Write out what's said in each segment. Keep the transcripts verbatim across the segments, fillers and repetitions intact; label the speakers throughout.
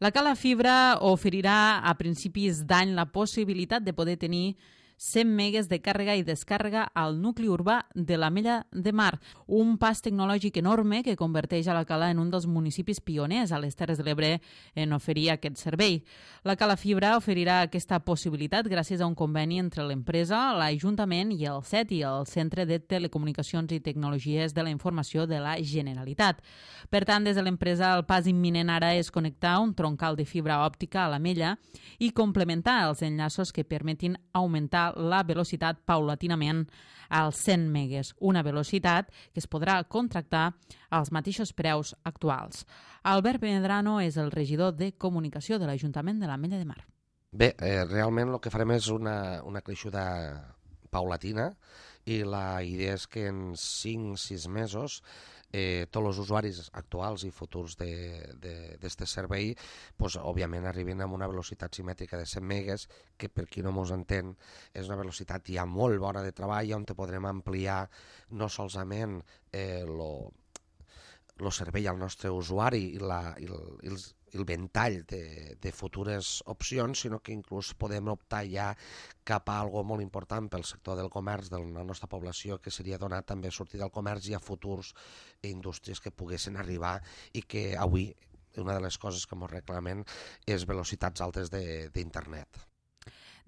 Speaker 1: La Cala Fibra oferirà a principis d'any la possibilitat de poder tenir cent megues de càrrega i descàrrega al nucli urbà de l'Ametlla de Mar, un pas tecnològic enorme que converteix a la Cala en un dels municipis pioners a les Terres de l'Ebre en oferir aquest servei. La Cala Fibra oferirà aquesta possibilitat gràcies a un conveni entre l'empresa, l'Ajuntament i el C E T I, el Centre de Telecomunicacions i Tecnologies de la Informació de la Generalitat. Per tant, des de l'empresa, el pas imminent ara és connectar un troncal de fibra òptica a l'Ametlla i complementar els enllaços que permetin augmentar la velocitat paulatinament als cent megues, una velocitat que es podrà contractar als mateixos preus actuals. Albert Medrano és el regidor de Comunicació de l'Ajuntament de l'Ametlla de Mar.
Speaker 2: Bé, eh, realment el que farem és una, una creixuda paulatina i la idea és que en cinc o sis mesos eh, tots els usuaris actuals i futurs d'aquest servei pues, òbviament arriben amb una velocitat simètrica de cent megues, que per qui no mos entén és una velocitat ja molt bona de treball on te podrem ampliar no solament eh, lo, lo servei al nostre usuari i, la, i, el, i els el ventall de, de futures opcions, sinó que inclús podem optar ja cap a algo molt important pel sector del comerç de la nostra població, que seria donar també sortida al comerç i a futurs indústries que poguessin arribar i que avui una de les coses que ens reclamen és velocitats altes d'internet.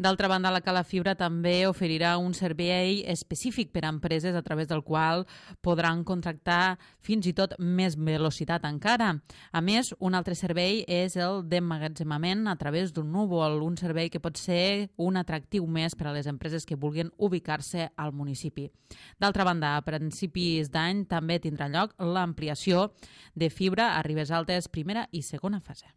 Speaker 1: D'altra banda, la Cala Fibra també oferirà un servei específic per a empreses a través del qual podran contractar fins i tot més velocitat encara. A més, un altre servei és el d'emmagatzemament a través d'un núvol, un servei que pot ser un atractiu més per a les empreses que vulguin ubicar-se al municipi. D'altra banda, a principis d'any també tindrà lloc l'ampliació de fibra a Ribes Altes, primera i segona fase.